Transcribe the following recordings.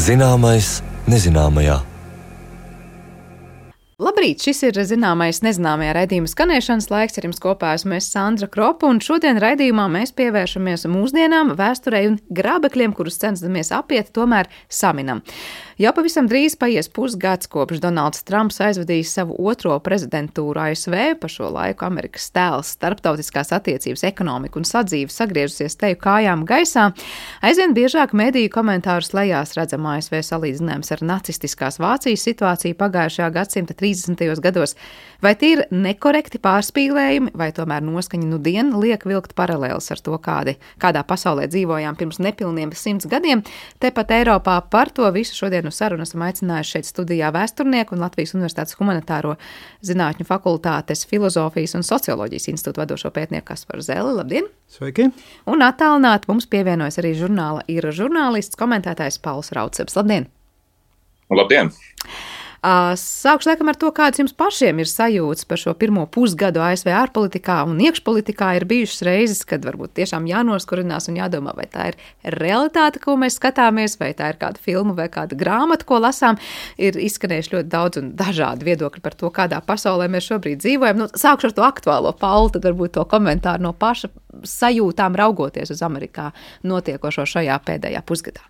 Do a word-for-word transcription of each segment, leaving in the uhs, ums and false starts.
Zināmais nezināmajā. Labrīt, šis ir zināmais nezināmajā raidījuma skanēšanas laiks. Ar jums kopā esmu es Sandra Kropa, un šodien raidījumā mēs pievēršamies mūsdienām, vēsturei un grābekļiem, kurus cenšamies apiet, tomēr saminam. Jau pavisam drīz paies pusgads, kopš Donalds Trumps aizvadījis savu otro prezidentūru A S V. Pa šo laiku Amerikas tēls, starptautiskās attiecības, ekonomika un sadzīve sagriežusies teju kājām gaisā. Aizvien biežāk mediju komentārus lejās redzam A S V salīdzinājums ar nacistiskās Vācijas situāciju pagājušajā gadsimta trīsdesmitajos gados. Vai tie ir nekorekti pārspīlējumi, vai tomēr noskaņa nu dien liek vilkt paralēlis ar to, kādi, kādā pasaulē dzīvojām pirms nepilniem simts gadiem? Tepat Eiropā par to visu šodien uz sarunu esam aicinājuši šeit studijā vēsturnieku un Latvijas Universitātes humanitāro zinātņu fakultātes filozofijas un socioloģijas institūta vadošo pētnieku Kasparu Zelli. Labdien! Sveiki! Un attālināti mums pievienojas arī žurnāla ir žurnālists, komentētājs Pauls Raudsebs. Labdien! Labdien! Sākšu laikam ar to, kāds jums pašiem ir sajūtas par šo pirmo pusgadu A S V ārpolitikā un iekšpolitikā. Ir bijušas reizes, kad varbūt tiešām jānoskurinās un jādomā, vai tā ir realitāte, ko mēs skatāmies, vai tā ir kāda filma vai kāda grāmata, ko lasām. Ir izskanējuši ļoti daudz un dažādi viedokļi par to, kādā pasaulē mēs šobrīd dzīvojam. Nu, sākšu ar to aktuālo, Pauli, tad varbūt to komentāru no paša sajūtām raugoties uz Amerikā notiekošo šajā pēdējā pusgadā.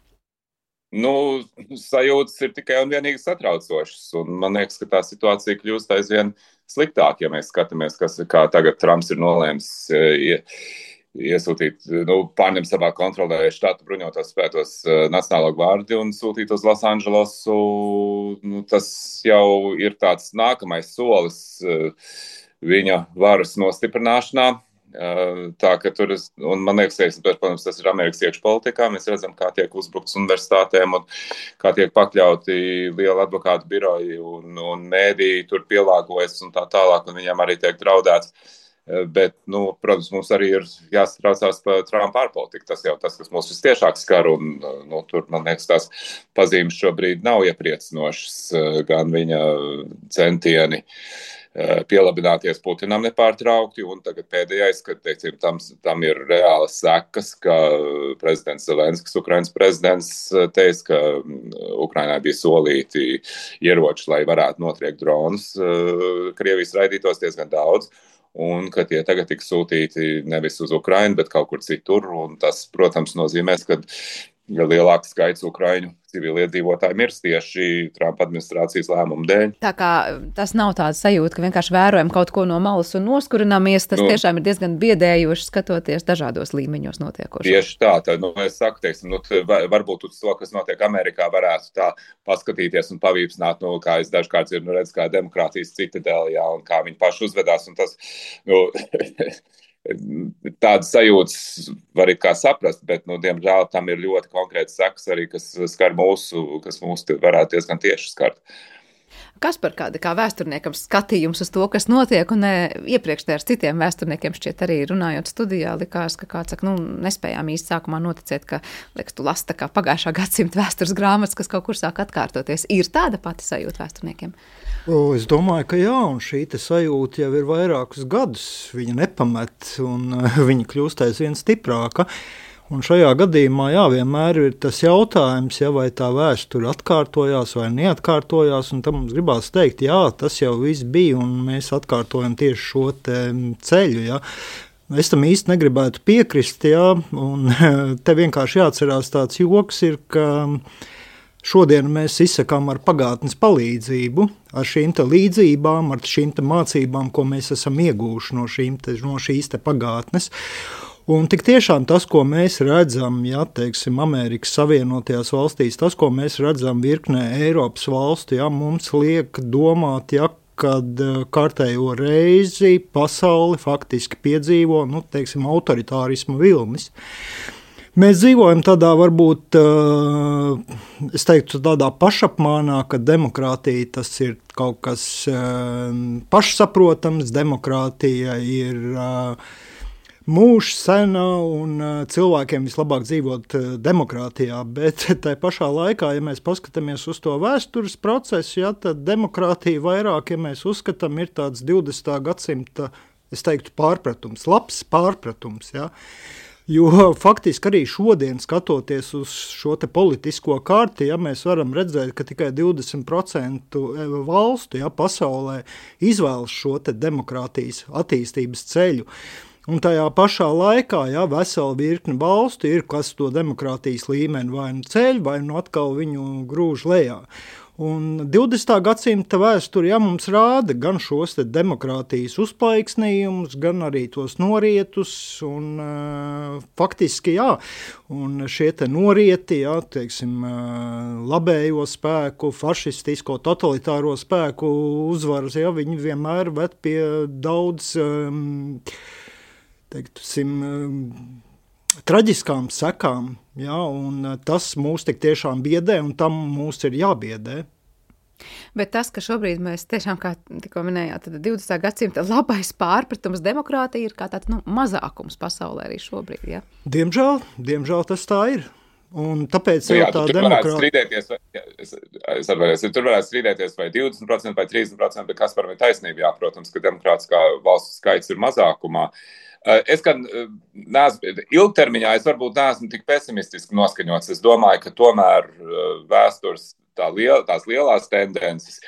Nu, sajūtas ir tikai un vienīgi satraucošas, un man liekas, ka tā situācija kļūst aizvien sliktāk, ja mēs skatāmies, kas, kā tagad Trumps ir nolēmis ie, iesūtīt, nu, pārņemt savā kontrolē štatu bruņotos spētos Nacionālo gvārdi un sūtīt uz Losandželosu. Nu, tas jau ir tāds nākamais solis viņa varas nostiprināšanā. Tā, ka tur, un man liekas, protams, tas ir Amerikas iekšpolitikā, mēs redzam, kā tiek uzbrukts universitātēm un kā tiek pakļauti liela advokātu biroji un, un mēdī tur pielāgojas un tā tālāk, un viņam arī tiek draudēts. Bet, nu, protams, mums arī ir jāsatraucās par Trumpa ārpolitiku. Tas jau tas, kas mūs vistiešāk skar, un, nu, tur, man liekas, tās pazīmes šobrīd nav iepriecinošas, gan viņa centieni pielabināties Putinam nepārtraukti, un tagad pēdējais, kad, teicim, tam, tam ir reālas sekas, ka prezidents Zelenskis, Ukrainas prezidents, teica, ka Ukrainai bija solīti ieroči, lai varētu notriekt dronus. Krievijas raidītos diezgan daudz, un ka tie tagad tiks sūtīti nevis uz Ukrainu, bet kaut kur citur, un tas, protams, nozīmēs, ka lielāks skaits ukraiņu civiliedzīvotāji mirst tieši Trumpa administrācijas lēmumu dēļ. Tā kā tas nav tāds sajūta, ka vienkārši vērojam kaut ko no malas un noskurināmies, tas nu, tiešām ir diezgan biedējoši skatoties dažādos līmeņos notiekošo. Tieši tā, tad, nu, es saku, teiksim, nu, varbūt uz to, kas notiek Amerikā, varētu tā paskatīties un pavīpsnāt, nu, kā es dažkārt ir, nu, redz, kā demokrātijas citadēlē, jā, un kā viņi paši uzvedās, un tas, nu, tādas sajūtas var it kā saprast, bet, nu, diemžēl tam ir ļoti konkrēts sekas arī, kas skar mūsu, kas mūs varētu diezgan tieši skart. Kas par kāda kā vēsturniekam skatījums uz to, kas notiek, un ne, iepriekš te ar citiem vēsturniekiem šķiet arī runājot studijā, likās, ka kāds saka, nu, nespējām īsti sākumā noticēt, ka, liekas, tu lasi tā kā pagājušā gadsimta vēstures grāmatas, kas kaut kur sāk atkārtoties. Ir tāda pati sajūta vēsturniekiem? O, es domāju, ka jā, un šī te sajūta jau ir vairākus gadus. Viņa nepamet, un uh, viņa kļūst aizvien stiprāka. Un šajā gadījumā, jā, vienmēr ir tas jautājums, ja vai tā vēsture atkārtojās vai neatkārtojās, un tam mums gribās teikt, jā, tas jau viss bija, un mēs atkārtojam tieši šo te ceļu, jā. Es tam īsti negribētu piekrist, jā, un te vienkārši jāatcerās tāds joks ir, ka šodien mēs izsakām ar pagātnes palīdzību, ar šīm te līdzībām, ar šīm te mācībām, ko mēs esam iegūši no, šīm te, no šīs te pagātnes. Un tik tiešām tas, ko mēs redzam, ja, teiksim, Amerikas Savienotajās valstīs, tas, ko mēs redzam virknē Eiropas valstu, ja, mums liek domāt, ja, kad kārtējo reizi pasauli faktiski piedzīvo, nu, teiksim, autoritārismu vilnis. Mēs dzīvojam tādā, varbūt, es teiktu, tādā pašapmānā, ka demokrātija tas ir kaut kas pašsaprotams, demokrātija ir mūžs sena un cilvēkiem vislabāk dzīvot demokrātijā, bet tai pašā laikā, ja mēs paskatāmies uz to vēstures procesu, ja, tad demokrātija vairāk, ja mēs uzskatām, ir tāds divdesmitā gadsimta, es teiktu, pārpratums, labs pārpratums, ja. Jo faktiski arī šodien, skatoties uz šo te politisko karti, ja, mēs varam redzēt, ka tikai divdesmit procenti valstu ja, pasaulē izvēlas šo te demokrātijas attīstības ceļu. Un tajā pašā laikā ja, vesela virkne valstu ir, kas to demokrātijas līmeni vai nu ceļ, vai nu atkal viņu grūž lejā. Un divdesmitā gadsimta vēsture ja, mums rāda gan šos te demokrātijas uzpaiksnījumus, gan arī tos norietus, un uh, faktiski jā, un šie te norieti, jā, teiksim, uh, labējo spēku, fašistisko, totalitāro spēku uzvaras, jā, viņi vienmēr ved pie daudz, um, teiksim, um, traģiskām sekām, ja, un tas mūs tik tiešām biedē, un tam mūs ir jābiedē. Bet tas, ka šobrīd mēs tiešām, kā tikko minējāt, tad divdesmitā gadsimta labais pārpratums demokrātija ir kā tāds, nu, mazākums pasaulē arī šobrīd, ja? Diemžēl, diemžēl tas tā ir. Un tāpēc nu, jā, jau tā tur demokrātija... Strīdēties, vai, jā, es, es atvainojos, tur varētu strīdēties vai divdesmit procenti vai trīsdesmit procenti, bet kas par viņu taisnību, jā, protams, ka demokrātiskā valstu skaits ir mazākumā. Es gan neesmu, ilgtermiņā es varbūt neesmu tik pesimistiski noskaņots. Es domāju, ka tomēr vēstures tā liel, tās lielās tendences,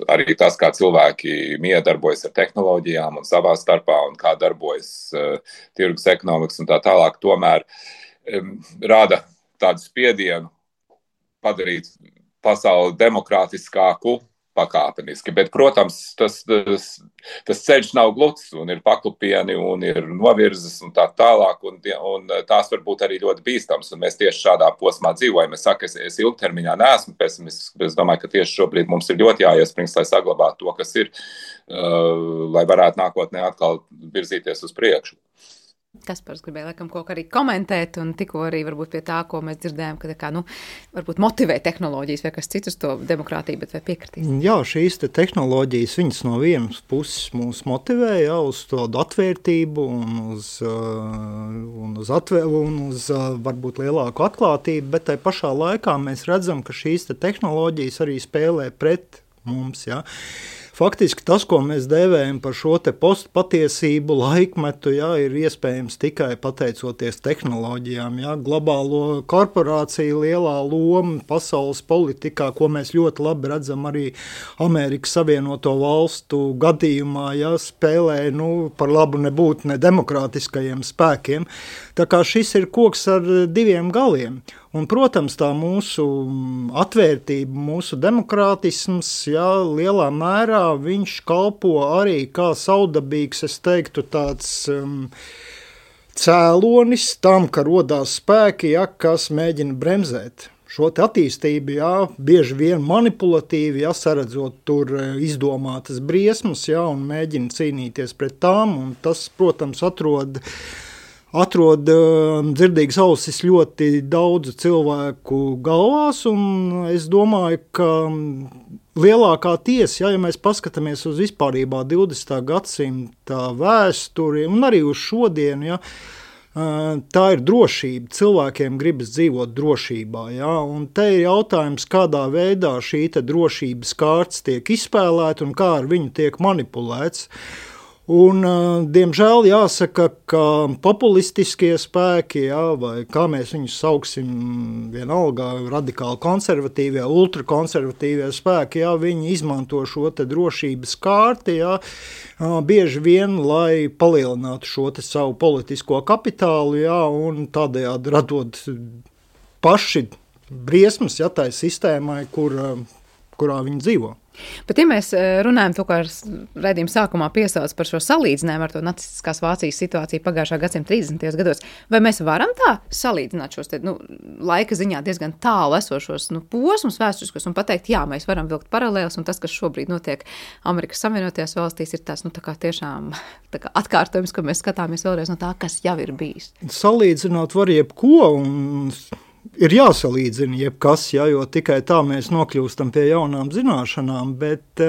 arī tas, kā cilvēki miedarbojas ar tehnoloģijām un savā starpā un kā darbojas uh, tirgus ekonomikas un tā tālāk, tomēr um, rada tādu spiedienu padarīt pasauli demokrātiskāku pakāpeniski, bet, protams, tas, tas, tas ceļš nav gluds un ir paklupieni un ir novirzes un tā tālāk, un, un tās var būt arī ļoti bīstams, un mēs tieši šādā posmā dzīvojam. Es saku, es, es ilgtermiņā neesmu pesimistisks, bet es domāju, ka tieši šobrīd mums ir ļoti jāiesprings, lai saglabātu to, kas ir, uh, lai varētu nākotnē atkal virzīties uz priekšu. Kaspars gribēja laikam kaut kā arī komentēt, un tikko arī varbūt pie tā, ko mēs dzirdējām, ka tā kā, nu, varbūt motivē tehnoloģijas vai kas cits uz to demokrātiju, bet vai piekritīs? Jā, šīs te tehnoloģijas, viņas no vienas puses mūs motivē, jā, uz tādu atvērtību un uz, un uz, atvēr, un uz varbūt lielāku atklātību, bet tai pašā laikā mēs redzam, ka šīs te tehnoloģijas arī spēlē pret mums, jā. Faktiski tas, ko mēs dēvējam par šo te postpatiesību laikmetu, jā, ir iespējams tikai pateicoties tehnoloģijām. Jā. Globālo korporāciju lielā loma pasaules politikā, ko mēs ļoti labi redzam arī Amerikas Savienoto Valstu gadījumā, jā, spēlē nu, par labu nebūt ne demokrātiskajiem spēkiem. Tā kā šis ir koks ar diviem galiem. Un, protams, tā mūsu atvērtība, mūsu demokrātisms, jā, lielā mērā viņš kalpo arī kā saudabīgs, es teiktu, tāds um, cēlonis tam, ka rodās spēki, jā, kas mēģina bremzēt šo te attīstību, jā, bieži vien manipulatīvi, jā, saredzot tur izdomātas briesmas, jā, un mēģina cīnīties pret tām, un tas, protams, atrod... atrod uh, dzirdīgas ausis ļoti daudzu cilvēku galvās, un es domāju, ka lielākā tiesa, ja, ja mēs paskatāmies uz vispārībā divdesmitā gadsimta vēsturi, un arī uz šodienu, ja, uh, tā ir drošība. Cilvēkiem gribas dzīvot drošībā, ja, un te ir jautājums, kādā veidā šī te drošības kārtas tiek izspēlēta un kā ar viņu tiek manipulēts. Un, diemžēl, jāsaka, ka populistiskie spēki, jā, vai kā mēs viņus sauksim, vienalga radikāli konservatīvie, ultrakonservatīvie spēki, jā, viņi izmanto šo te drošības kārti, jā, bieži vien, lai palielinātu šo te savu politisko kapitālu, jā, un tādējādi radot paši briesmas, jā, tai sistēmai, kur, kurā viņi dzīvo. Bet, ja mēs runājam to, kā raidījuma sākumā piesauc par šo salīdzinājumu ar to nacistiskās Vācijas situāciju pagājušā gadsimta trīsdesmitajos gados, vai mēs varam tā salīdzināt šos te, nu, laika ziņā diezgan tālu esošos nu, posmus vēsturiskos un pateikt, jā, mēs varam vilkt paralēlus, un tas, kas šobrīd notiek Amerikas Savienotajās valstīs, ir tas, nu, tā kā tiešām tā kā atkārtojums, ka mēs skatāmies vēlreiz no tā, kas jau ir bijis. Salīdzināt var jebko, un ir jāsalīdzina jebkas, ja, jo tikai tā mēs nokļūstam pie jaunām zināšanām, bet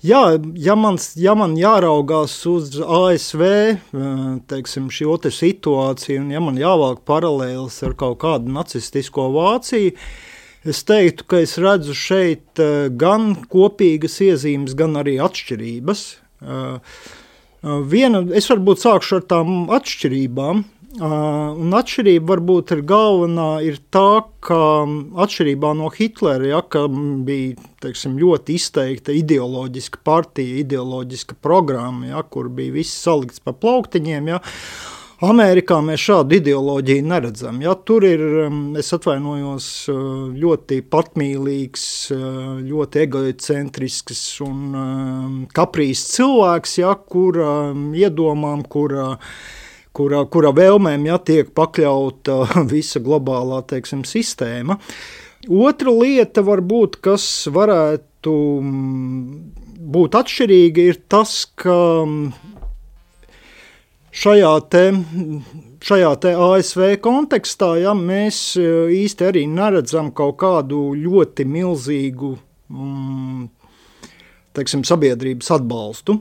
jā, ja, mans, ja man jāraugās uz A S V, teiksim, šo te situāciju, un ja man jāvalk paralēlis ar kaut kādu nacistisko Vāciju, es teiktu, ka es redzu šeit gan kopīgas iezīmes, gan arī atšķirības. Viena, es varbūt sākšu ar tām atšķirībām. Un atšķirība varbūt ir galvenā ir tā, ka atšķirībā no Hitlera, ja, ka bija teiksim, ļoti izteikta ideoloģiska partija, ideoloģiska programma, ja, kur bija viss salikts pa plauktiņiem, ja, Amerikā mēs šādu ideoloģiju neredzam. Ja, tur ir, es atvainojos, ļoti patmīlīgs, ļoti egocentrisks un kaprīs cilvēks, ja, kura iedomām, kura, kura, kura vēlmēm ja, tiek pakļauta visa globālā teiksim, sistēma. Otra lieta varbūt, kas varētu būt atšķirīga, ir tas, ka Šajā te, šajā te A S V kontekstā ja, mēs īsti arī neredzam kaut kādu ļoti milzīgu mm, teiksim, sabiedrības atbalstu,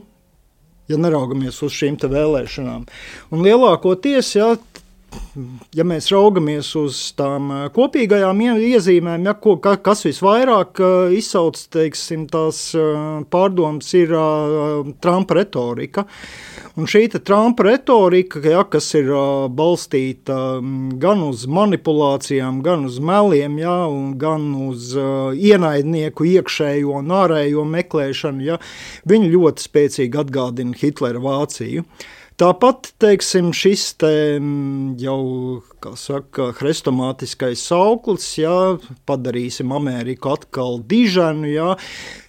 ja neraugamies uz šīm te vēlēšanām. Un lielākoties, ja, ja mēs raugamies uz tām kopīgajām iezīmēm, ja, ko, kas visvairāk izsauc teiksim, tās pārdomas, ir Trumpa retorika. Un šī Trumpa retorika, ja, kas ir uh, balstīta gan uz manipulācijām, gan uz meliem, ja, un gan uz uh, ienaidnieku iekšējo un ārējo meklēšanu, ja, viņi ļoti spēcīgi atgādina Hitlera Vāciju. Tāpat, teiksim, šis te jau, kā saka, hrestomātiskais sauklis, ja, padarīsim Ameriku atkal diženu, ja,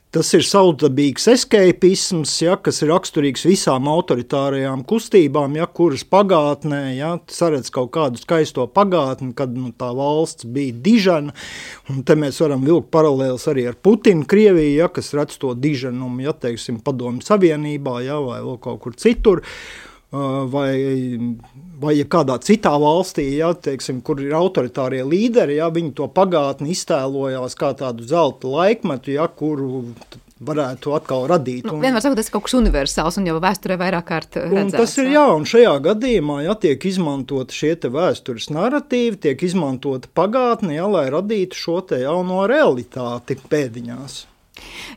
tas ir savdabīgs escapisms, ja, kas ir raksturīgs visām autoritārajām kustībām, ja, kuras pagātnē ja, saredz kaut kādu skaisto pagātni, kad nu, tā valsts bija dižena. Un te mēs varam vilkt paralēlis arī ar Putinu Krieviju, ja, kas redz to diženumu, ja, teiksim, Padomju Savienībā ja, vai vēl kaut kur citur. Vai, vai ja kādā citā valstī, ja, teiksim, kur ir autoritārie līderi, ja, viņi to pagātni iztēlojās kā tādu zelta laikmetu, ja, kuru varētu atkal radīt. Nu, vienmēr sakot, tas ir kaut kas universāls un jau vēsturē vairāk kārt redzēts. Un tas ir jā, un šajā gadījumā ja, tiek izmantot šie te vēstures narratīvi, tiek izmantota pagātne, ja, lai radītu šo te jauno realitāti pēdiņās.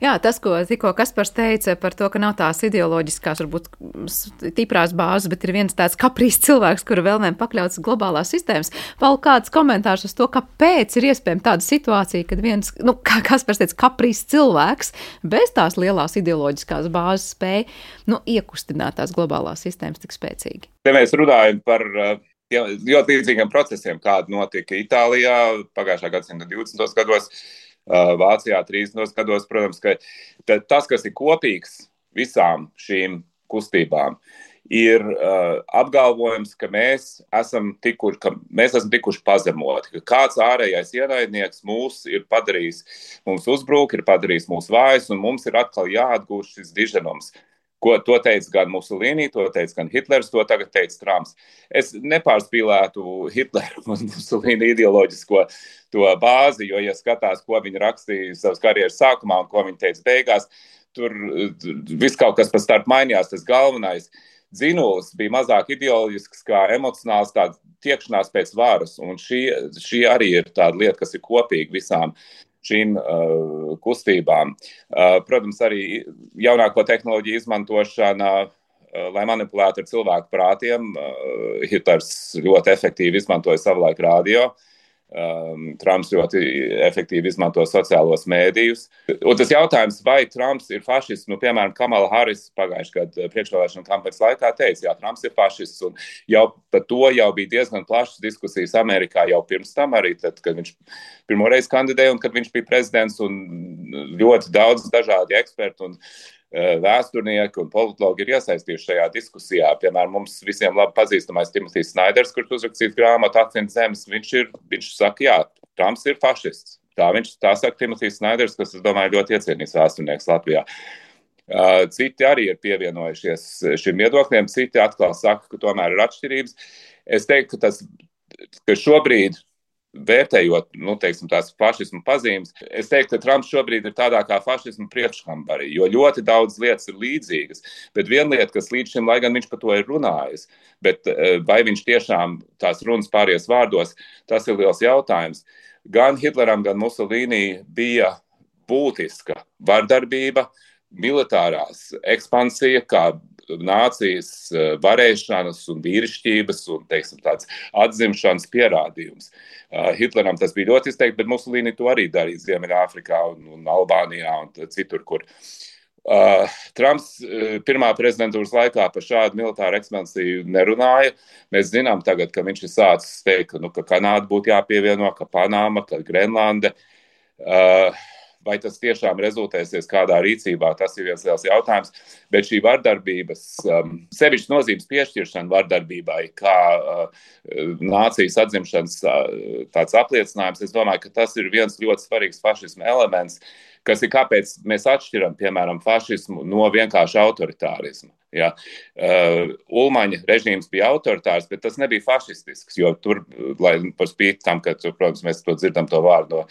Jā, tas, ko tikko Kaspars teica par to, ka nav tās ideoloģiskās, varbūt stiprās bāzes, bet ir viens tāds kaprīs cilvēks, kura vēlmēm pakļauts globālās sistēmas. Vēl kāds komentārs uz to, kāpēc ir iespējama tāda situācija, kad viens, nu, kā Kaspars teica, kaprīs cilvēks bez tās lielās ideoloģiskās bāzes spēja, nu, iekustināt tās globālās sistēmas tik spēcīgi. Te mēs runājam par ļoti līdzīgiem procesiem, kādi notika Itālijā pagājušā gadsimta divdesmitos gados, Vācijā trīsdesmitos gados, protams, ka tas, kas ir kopīgs visām šīm kustībām, ir uh, apgalvojums, ka mēs esam tikuši, ka mēs esam tikuši pazemoti, ka kāds ārējais ienaidnieks mūs ir padarījis, mums uzbruk, ir padarījis mūs vājus, un mums ir atkal jāatgūst šis diženums. Ko to teica gan Mussolini, to teica gan Hitlers, to tagad teica Trumps. Es nepārspīlētu Hitleru un Mussolini ideoloģisko to bāzi, jo, ja skatās, ko viņi rakstīja savas karjeras sākumā un ko viņi teica beigās, tur viss kaut kas pa starp mainījās, tas galvenais. Dzinuls bija mazāk ideoloģisks kā emocionāls tāds tiekšanās pēc varas, un šī, šī arī ir tāda lieta, kas ir kopīga visām šīm uh, kustībām. Uh, protams, arī jaunāko tehnoloģiju izmantošana, uh, lai manipulētu ar cilvēku prātiem. Uh, Hitlers ļoti efektīvi izmantoja savulaik radio. Um, Trumps ļoti efektīvi izmanto sociālos mēdījus. Un tas jautājums, vai Trumps ir fašists, nu, piemēram, Kamala Harris pagājušajā gadu priekšvēlēšanu kampaņas laikā teica, jā, Trumps ir fašists, un jau par to jau bija diezgan plašas diskusijas Amerikā jau pirms tam arī, tad, kad viņš pirmoreiz kandidēja un kad viņš bija prezidents, un ļoti daudz dažādi eksperti un vēsturnieki un politologi ir iesaistījuši šajā diskusijā. Piemēram, mums visiem labi pazīstamais Timotijs Snaiders, kurš uzrakstījis grāmatu Akcents zemes, viņš, ir, viņš saka, jā, Trumps ir fašists. Tā viņš tā saka Timotijs Snaiders, kas, es domāju, ļoti iecienīgs vēsturnieks Latvijā. Citi arī ir pievienojušies šim viedokļiem, citi atkal saka, ka tomēr ir atšķirības. Es teiktu, ka tas, ka šobrīd vērtējot, nu, teiksim, tās fašismu pazīmes, es teiktu, ka Trumps šobrīd ir tādā kā fašismu priekškambarī, jo ļoti daudz lietas ir līdzīgas, bet viena lieta, kas līdz šim, lai gan viņš par to ir runājis, bet vai viņš tiešām tās runas pāries vārdos, tas ir liels jautājums. Gan Hitleram, gan Mussolini bija būtiska vardarbība, militārās ekspansija, kā nācijas varēšanas un vīrišķības un, teiksim, tāds atzimšanas pierādījums. Hitleram tas bija ļoti izteikti, bet Musolīni to arī darīja Ziemeļāfrikā un, un Albānijā un citur, kur. Uh, Trumps uh, pirmā prezidentūras laikā par šādu militāru ekspansiju nerunāja. Mēs zinām tagad, ka viņš ir sācis teikt, ka, nu, ka Kanāda būtu jāpievieno, ka Panama, ka Grenlande. Uh, vai tas tiešām rezultēsies kādā rīcībā, tas ir viens liels jautājums. Bet šī vardarbības, um, sevišķi nozīmes piešķiršana vardarbībai, kā uh, nācijas atzimšanas uh, tāds apliecinājums, es domāju, ka tas ir viens ļoti svarīgs fašisma elements, kas ir kāpēc mēs atšķiram, piemēram, fašismu no vienkārši autoritārismu. Ja. Uh, Ulmaņa režīms bija autoritārs, bet tas nebija fašistisks, jo tur, lai par spīti tam, ka, tur, protams, mēs to dzirdam to vārdu no,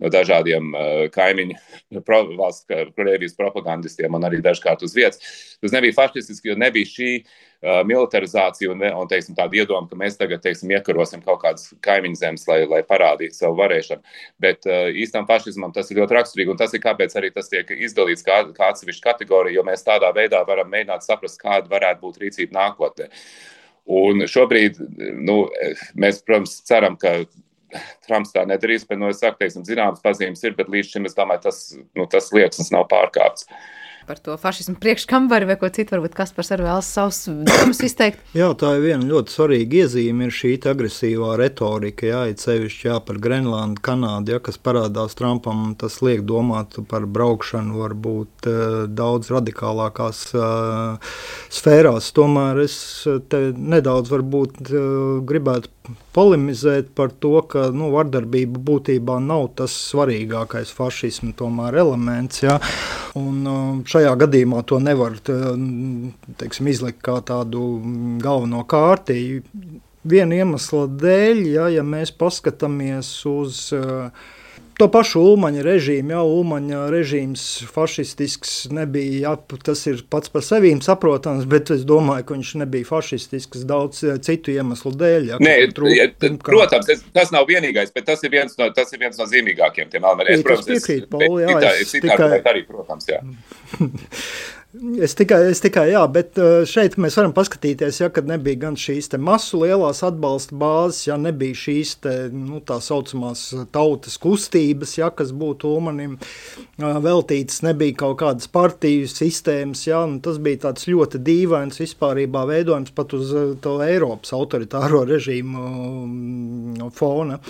no dažādiem uh, kaimiņu pro, valsts Krievijas propagandistiem un arī dažkārt uz vietas, tas nebija fašistisks, jo nebija šī uh, militarizācija un, un teiksim, tāda iedoma, ka mēs tagad, teiksim, iekarosim kaut kādas kaimiņu zemes, lai, lai parādītu savu varēšanu. Bet uh, īstam fašismam tas ir ļoti raksturīgi, un tas ir kāpēc arī tas tiek izdalīts kā, kā atsevišķa kategorija, jo mēs tādā veidā varam mēģināt saprast, kāda varētu būt rīcība nākotnē. Un šobrīd, nu, mēs, protams, ceram, ka Trumps tā nedarīs, bet, nu, es saku, teiksim, zināmas pazīmes ir, bet līdz šim, es domāju, tas, nu, tas liekas nav pārkāpts. Par to fašismu priekškambari vai ko citu, varbūt Kaspars arī vēlas savus domas izteikt. Jā, tā ir viena ļoti svarīga iezīme, ir šī agresīvā retorika, jā, ir sevišķi jā, par Grenlandu, Kanādu, jā, kas parādās Trumpam, tas liek domāt par braukšanu varbūt uh, daudz radikālākās uh, sfērās. Tomēr es te nedaudz varbūt uh, gribētu polemizēt par to, ka nu, vardarbība būtībā nav tas svarīgākais fašismu tomēr elements. Ja? Un šajā gadījumā to nevar teiksim, izlikt kā tādu galveno kārti. Viena iemesla dēļ, ja, ja mēs paskatāmies uz to pašu Ulmaņa režīmu, jā, Ulmaņa režīms fašistisks nebija, jā, tas ir pats par sevīm saprotams, bet es domāju, ka viņš nebija fašistisks daudz citu iemeslu dēļ. Jā, Nē, trūk, protams, es, tas nav vienīgais, bet tas ir viens no, tas ir viens no zīmīgākiem tiem elementiem. Es piekrītu, Pauli, jā, es, es tikai... arī, protams, jā. Es tikai, es tikai, jā, bet šeit mēs varam paskatīties, ja, kad nebija gan šīs te masu lielās atbalsta bāzes, ja nebija šīs te, nu, tā saucamās tautas kustības, ja, kas būtu Ulmanim veltītas, nebija kaut kādas partiju sistēmas, ja, un tas bija tāds ļoti dīvains vispārībā veidojums pat uz to Eiropas autoritāro režīmu fona.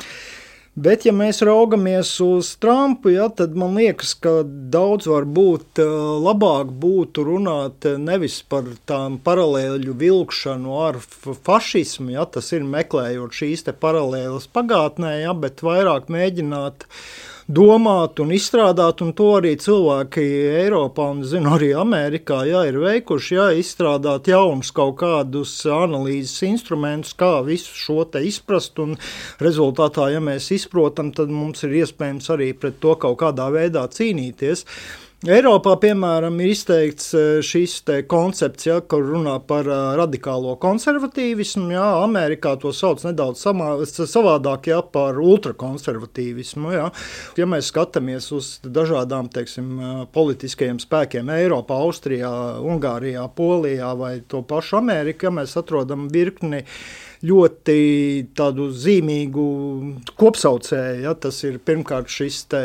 Bet, ja mēs raugamies uz Trumpu, ja, tad man liekas, ka daudz varbūt labāk būtu runāt nevis par tām paralēļu vilkšanu ar fašismu, ja, tas ir meklējot šīs te paralēlas pagātnē, ja, bet vairāk mēģināt domāt un izstrādāt, un to arī cilvēki Eiropā un, zinu, arī Amerikā, jā, ir veikuši, jā, izstrādāt jaunus kaut kādus analīzes instrumentus, kā visu šo te izprast, un rezultātā, ja mēs izprotam, tad mums ir iespējams arī pret to kaut kādā veidā cīnīties. Eiropā, piemēram, ir izteikts šis te koncepts, ja, kur runā par radikālo konservatīvismu, ja, Amerikā to sauc nedaudz samā, savādāk, ja, par ultrakonservatīvismu, ja. Ja mēs skatāmies uz dažādām, teiksim, politiskajiem spēkiem Eiropā, Austrijā, Ungārijā, Polijā vai to pašu Ameriku, ja mēs atrodam virkni ļoti tādu zīmīgu kopsaucēju. Ja? Tas ir pirmkārt šis te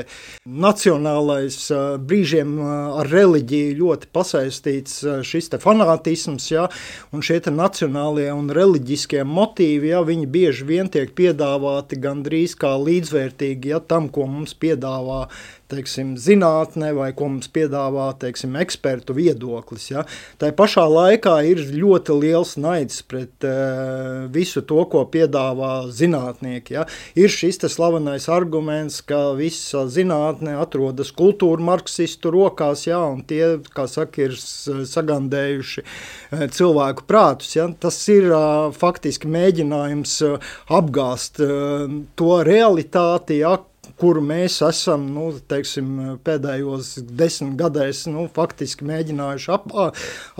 nacionālais brīžiem ar reliģiju ļoti pasaistīts šis te fanātisms, ja? Un šie te nacionālie un reliģiskie motīvi, ja? Viņi bieži vien tiek piedāvāti gandrīz kā līdzvērtīgi, ja? Tam, ko mums piedāvā teiksim, zinātne vai ko mums piedāvā, teiksim, ekspertu viedoklis. Ja? Tā pašā laikā ir ļoti liels naids pret uh, visu to, ko piedāvā zinātnieki. Ja? Ir šis te slavenais arguments, ka visa zinātne atrodas kultūra marksistu rokās, ja? Un tie, kā saka, ir sagandējuši uh, cilvēku prātus. Ja? Tas ir uh, faktiski mēģinājums uh, apgāst uh, to realitāti, ja? Kuru mēs esam, nu, teiksim, pēdējos desmit gadēs, nu, faktiski mēģinājuši ap,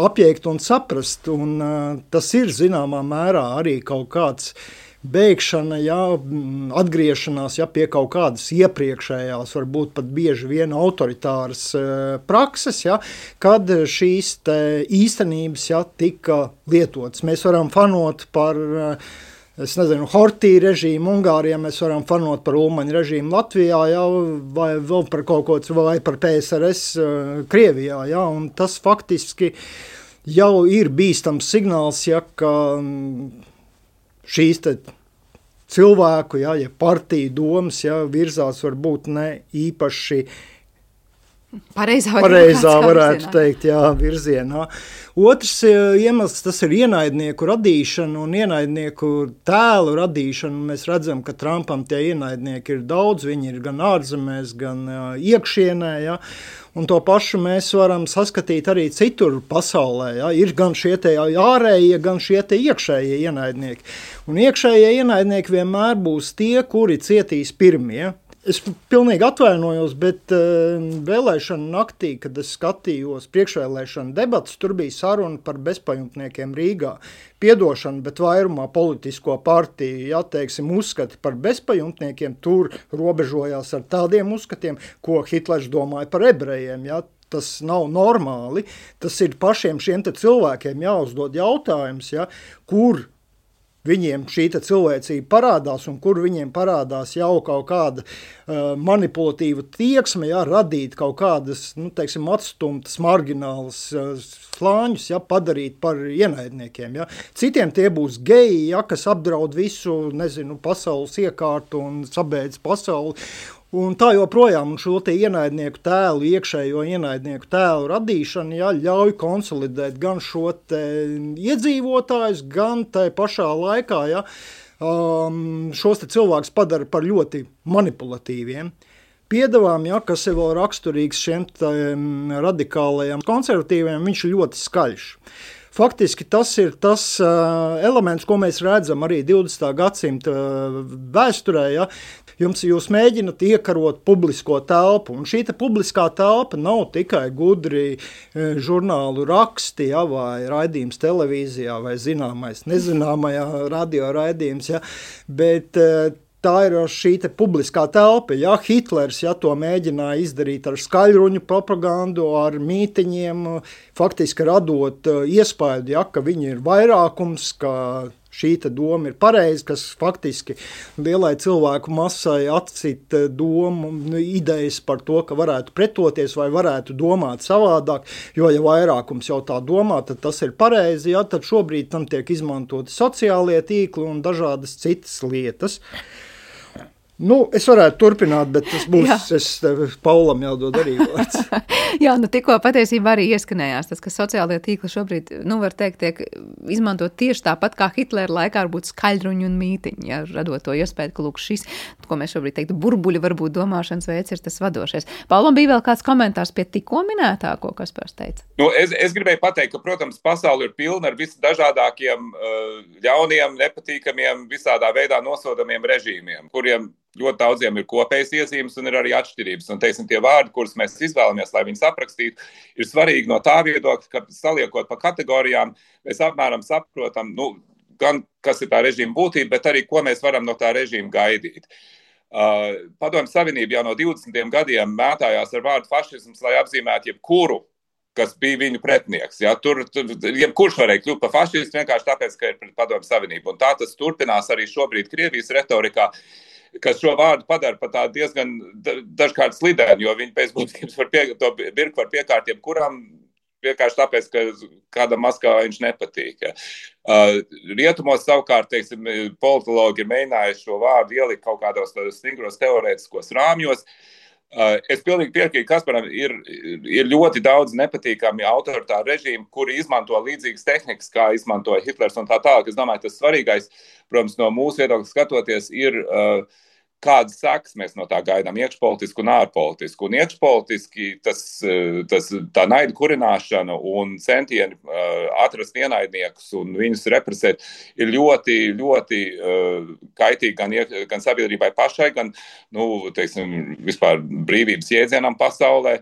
apjēgt un saprast, un uh, tas ir zināmā mērā arī kaut kāds beigšana, ja, atgriešanās ja, pie kaut kādas iepriekšējās, varbūt pat bieži vien autoritāras prakses, ja, kad šīs te īstenības ja, tika lietotas. Mēs varam fanot par, es nezinu, Hortī režīmu Ungārijā, mēs varam fanot par Ulmaņa režīmu Latvijā, ja, vai vēl par kaut ko, vai par P S R S Krievijā, ja, un tas faktiski jau ir bīstams signāls, ja, ka šīs te cilvēku, ja, ja partiju domas, ja, virzās varbūt ne īpaši pareizā, pareizā varētu virzienā. teikt, jā, virzienā. Otrs iemesls, tas ir ienaidnieku radīšana un ienaidnieku tēlu radīšana. Mēs redzam, ka Trumpam tie ienaidnieki ir daudz, viņi ir gan ārzemēs, gan iekšienē, ja. Un to pašu mēs varam saskatīt arī citur pasaulē. Ja? Ir gan šie te ārējie, gan šie te iekšējie ienaidnieki. Un iekšējie ienaidnieki vienmēr būs tie, kuri cietīs pirmie. Es pilnīgi atvainojos, bet uh, vēlēšana naktī, kad es skatījos priekšvēlēšana debatas, tur bija saruna par bezpajumtniekiem Rīgā. Piedošana, bet vairumā politisko partiju, ja, teiksim, uzskati par bezpajumtniekiem, tur robežojās ar tādiem uzskatiem, ko Hitlers domāja par ebrejiem, ja. Tas nav normāli, tas ir pašiem šiem te cilvēkiem jāuzdod jautājums, ja, kur viņiem šī cilvēcība parādās un kur viņiem parādās jau kaut kāda uh, manipulatīva tieksme, ja, radīt kaut kādas, nu, teiksim, atstumtas, marginālas uh, slāņus, ja, padarīt par ienaidniekiem. Ja. Citiem tie būs geji, ja, kas apdraud visu, nezinu, pasaules iekārtu un sabeidz pasauli. Un tā joprojām un šo te ienaidnieku tēlu, iekšējo ienaidnieku tēlu radīšana, ja, ļauj konsolidēt gan šo te iedzīvotājus, gan tai pašā laikā, ja, um, šos te cilvēkus padara par ļoti manipulatīviem. Piedevām, ja, kas ir vēl raksturīgs šiem radikālajiem konservatīviem, viņš ir ļoti skaļš. Faktiski tas ir tas uh, elements, ko mēs redzam arī divdesmitā gadsimta uh, vēsturē, ja. Jums jūs mēģināt iekarot publisko telpu, un šī te publiskā telpa nav tikai gudri uh, žurnālu raksti, ja, vai raidījums televīzijā, vai zināmais, nezināmajā radio raidījums, ja, bet uh, tā ir šī te publiskā telpa. Ja, Hitlers ja, to mēģināja izdarīt ar skaļruņu propagandu, ar mītiņiem, faktiski radot iespēju, ja, ka viņi ir vairākums, ka šī te doma ir pareiza, kas faktiski lielai cilvēku masai atcita domu, idejas par to, ka varētu pretoties vai varētu domāt savādāk, jo ja vairākums jau tā domā, tad tas ir pareizi, ja, tad šobrīd tam tiek izmantoti sociālie tīkli un dažādas citas lietas. Nu, es varētu turpināt, bet tas būs, jā. es Paulam jādod arī vārds. Jā, nu tikko patiesībā arī ieskanējās tas, ka sociālajie tīkli šobrīd, nu var teikt, tiek izmantot tieši tāpat kā Hitlera laikā varbūt skaļruņi un mītiņi, ja, radot to iespēju, ka lūk šis, ko mēs šobrīd teiktu, burbuļi varbūt domāšanas veids ir tas vadošais. Paulam bija vēl kāds komentārs pie tikko minētāko, kas Kaspars teica? Nu, es, es gribēju pateikt, ka, protams, pasauli ir pilna ar visdažādākiem ļauniem, nepatīkamiem, visādā veidā nosodamiem režīmiem, kuriem ļoti daudziem ir kopējas iezīmes un ir arī atšķirības. Un, teiksim, tie vārdi, kurus mēs izvēlamies, lai viņus aprakstītu, ir svarīgi no tā viedokļa, ka saliekot pa kategorijām, mēs apmēram saprotam, nu, gan kas ir tā režīma būtība, bet arī, ko mēs varam no tā režīma gaidīt. Uh, Padomju Savienība jau no divdesmitiem gadiem mētājās ar vārdu fašisms, lai apzīmētu jebkuru, kas bija viņu pretnieks. Ja? Tur, tur jebkurš varēja kļūt par fašistu vienkārši tāpēc, ka ir pret Padomju Savienību. Un tā tas turpinās arī šobrīd Krievijas retorikā, kas šo vārdu padara par tādu diezgan dažkārt slidēnu, jo viņi pēc būtības var pie, to birku var piekārt jebkuram vienkārši tāpēc, ka kādam Maskavā viņš nepatīk. Uh, rietumos savukārt, teiksim, politologi ir mēģinājuši šo vārdu ielikt kaut kādos stingros teorētiskos rāmjos. Uh, es pilnīgi piekrītu Kasparam, ir, ir ļoti daudz nepatīkami autoritāru režīmu, kuri izmanto līdzīgas tehnikas, kā izmantoja Hitlers un tā tālāk. Es domāju, tas svarīgais, protams, no mūsu viedokļa skatoties, ir uh, kādas sekas mēs no tā gaidām, iekšpolitiski un ārpolitiski. Un iekšpolitiski tas, tas, tā naida kurināšana un centieni uh, atrast ienaidniekus un viņus represēt ir ļoti, ļoti uh, kaitīgi gan, gan sabiedrībai pašai, gan, nu, teiksim, vispār brīvības jēdzienam pasaulē.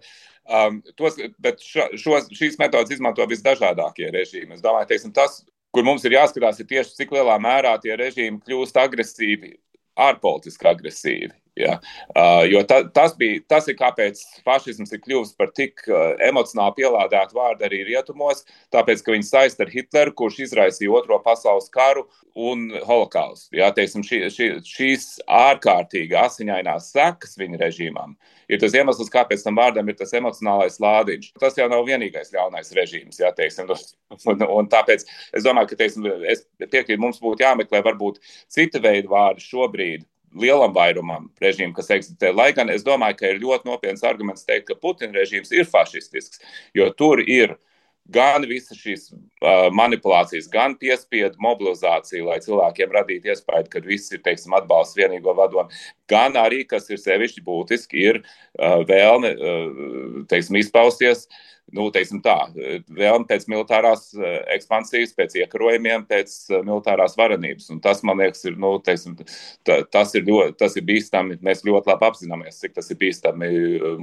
Um, tos, bet šo, šīs metodas izmanto visdažādākie režīmi. Es domāju, teiksim, tas kur mums ir jāskatās, ir tieši cik lielā mērā tie režīmi kļūst agresīvi, ārpolitiski agresīvi. Ja? Uh, jo ta, tas, bija, tas ir kāpēc fašisms ir kļuvis par tik uh, emocionāli pielādētu vārdu arī rietumos, tāpēc, ka viņi saist ar Hitleru, kurš izraisīja Otro pasaules karu un holokaustu. Ja? Teiksim, šī, šī, šīs ārkārtīgi asiņainās sekas viņa režīmām ir tas iemesls, kāpēc tam vārdam ir tas emocionālais lādiņš. Tas jau nav vienīgais ļaunais režīms, ja, teiksim, un, un tāpēc es domāju, ka teiksim, es piekrītu, mums būtu jāmeklē varbūt cita veida vārdi šobrīd, lielam vairumam režīmu, kas eksistē. Lai gan es domāju, ka ir ļoti nopietns arguments teikt, ka Putina režīms ir fašistisks, jo tur ir gan visas šīs uh, manipulācijas, gan piespiedu mobilizācija, lai cilvēkiem radītu iespēju, ka viss ir, teiksim, atbalsts vienīgo vadomu, gan arī, kas ir sevišķi būtiski, ir uh, vēlme, uh, teiksim, izpausties, nu, teiksim tā, vēlme pēc militārās ekspansijas, pēc iekarojumiem, pēc militārās varenības. Un tas, man liekas, ir, nu, teiksim, tas ir, ļoti, tas ir bīstami. Mēs ļoti labi apzināmies, cik tas ir bīstami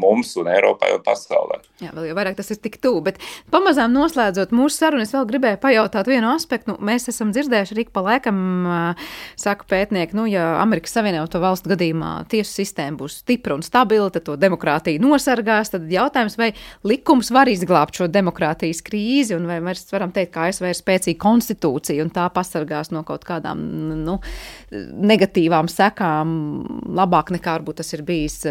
mums un Eiropai un pasaulē. Jā, vēl jau vairāk tas ir tik tuvu, bet pamazām noslēdzot mūsu sarunu, es vēl gribēju pajautāt vienu aspektu. Nu, mēs esam dzirdējuši arī pa laikam, saka pētnieki, nu, ja Amerikas Savienoto valstu gadījumā tiesu sistēma būs stipra un stabila, tad to demokrātiju nosargās, tad jautājums, vai likums var izglābt šo demokrātijas krīzi, un vai mēs varam teikt, ka A S V ir spēcīga konstitūcija, un tā pasargās no kaut kādām nu, negatīvām sekām labāk nekā varbūt tas ir bijis